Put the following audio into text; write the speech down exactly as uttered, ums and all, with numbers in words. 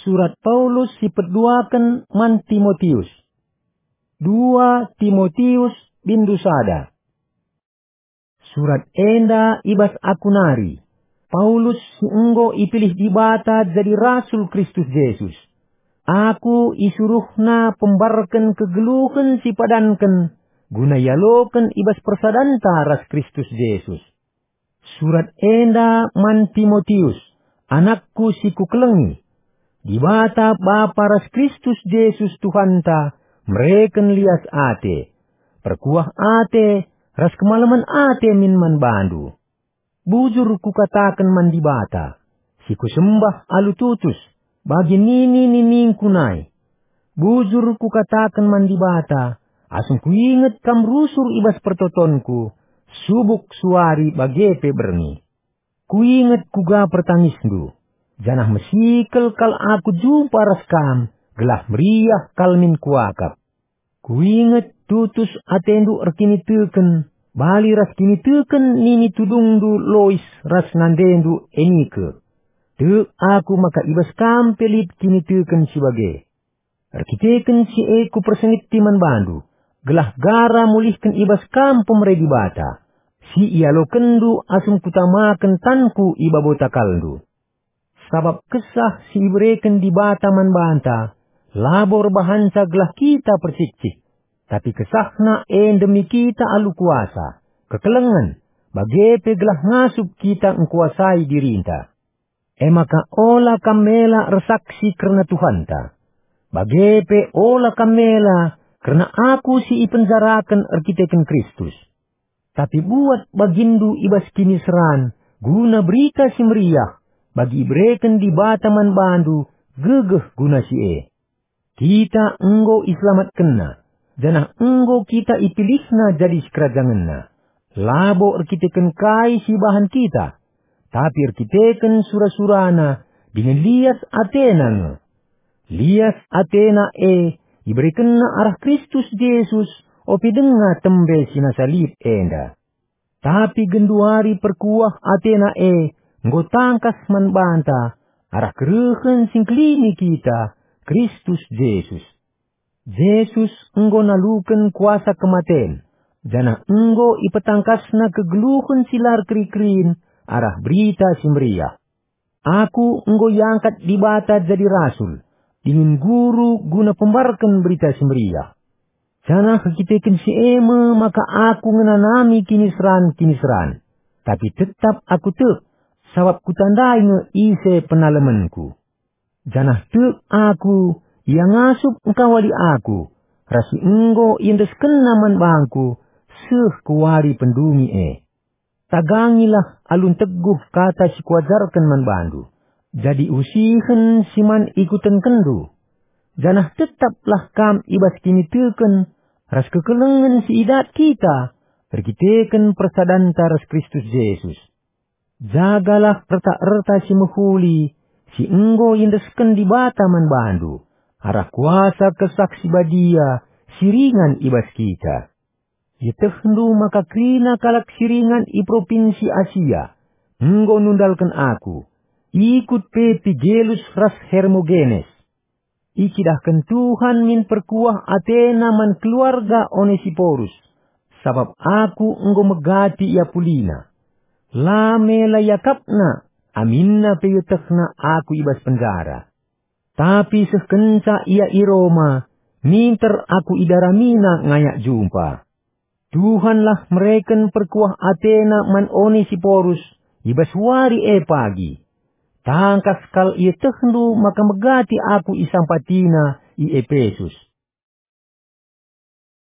Surat Paulus si peduaken man Timotius. Dua Timotius bindu sada. Surat enda i bas aku nari, Paulus si enggo ipilih Dibata jadi rasul Kristus Jesus. Aku isuruhNa pembarken kegeluhen si padanken guna ialoken i bas persadanta ras Kristus Jesus. Surat enda man Timotius, anakku si kukelengi. Dibata Bapa ras Kristus Jesus Tuhanta mereken lias ate, perkuah ate, ras kemalemen ate min man bandu. Bujur kukataken man Dibata, si kusembah alu tutus, bagi nini-niningku nai. Bujur kukataken man Dibata, asum kuinget kam rusur i bas pertotonku, subuk suari bage pe berngi. Kuinget kuga pertangisndu, janah mesikel kal aku jumpa ras kam, gelah meriah kal min kuakap. Kuinget tutus atendu erkiniteken, bali ras kiniteken nini tudungndu Lois ras nandendu Enike. Tek aku maka i bas kam pe lit kiniteken si bage. Erkiteken si e kupersingeti man bandu, gelah gara mulihken i bas kam pemere Dibata, si ialokenndu asum kutamaken tanku i babo takalndu. Sabap kesah si ibereken Dibata man banta, labo erbahanca gelah kita percikcik, tapi kesahna e ndemi kita alu kuasa, kekelengen, bage pe gelah ngasup kita ngkuasai dirinta. E maka ola kam mela ersaksi kerna Tuhanta. Bage pe ola kam mela kerna aku si ipenjaraken erkiteken Kristus. Tapi buat baginndu i bas kiniseran guna Berita Si Meriah, bagi ibereken Dibata man bandu gegeh guna si e. Kita enggo iselamatkenNa, janah enggo kita ipilihNa jadi sikerajangenNa, labo erkiteken kai si ibahan kita, tapi erkiteken sura-suraNa dingen lias ateNa nge. Lias ateNa e iberekenNa arah Kristus Jesus ope denga tembe si nasa lit enda. Tapi genduari perkuah ateNa e enggo tangkas man banta arah kerehen si ngkelini kita, Kristus Jesus. Jesus enggo naluken kuasa kematen, janah enggo ipetangkasNa kegeluhen si la erkeri-kerin arah Berita Si Meriah. Aku enggo iangkat Dibata jadi rasul, dingen guru guna pembarken Berita Si Meriah. Janah erkiteken si e me maka aku ngenanami kiniseran-kiniseran. Tapi tetap aku tek, sabap kutandai nge ise penalemenku. Janah tek aku, ia ngasup engkawali aku, ras si enggo iendeskenNa man bangku, seh ku wari pendungi e. Tagangilah alu nteguh kata si kuajarken man bandu, jadi usihen si man ikutenkenndu. Janah tetaplah kam i bas kiniteken ras kekelengen si idat kita erkiteken persadanta ras Kristus Jesus. Jagalah erta-erta si mehuli si enggo iendesken Dibata man bandu, arah kuasa Kesah Si Badia si ringan i bas kita. Ietehndu maka kerina kalak si ringan i Propinsi Asia enggo nundalken aku, ikut pe Pigelus ras Hermogenes. Icidahken Tuhan min perkuah ateNa man keluarga Onesiporus, sabap aku enggo megati ia pulina. La mela iakapna, aminna pe ietehna aku i bas penjara. Tapi seh kenca ia i Roma, minter aku idaramina ngayak jumpa. Tuhanlah mereken perkuah ateNa man Onesiporus i bas wari e pagi. Tangkas kal ietehndu maka megati aku isampatiNa i Epesus.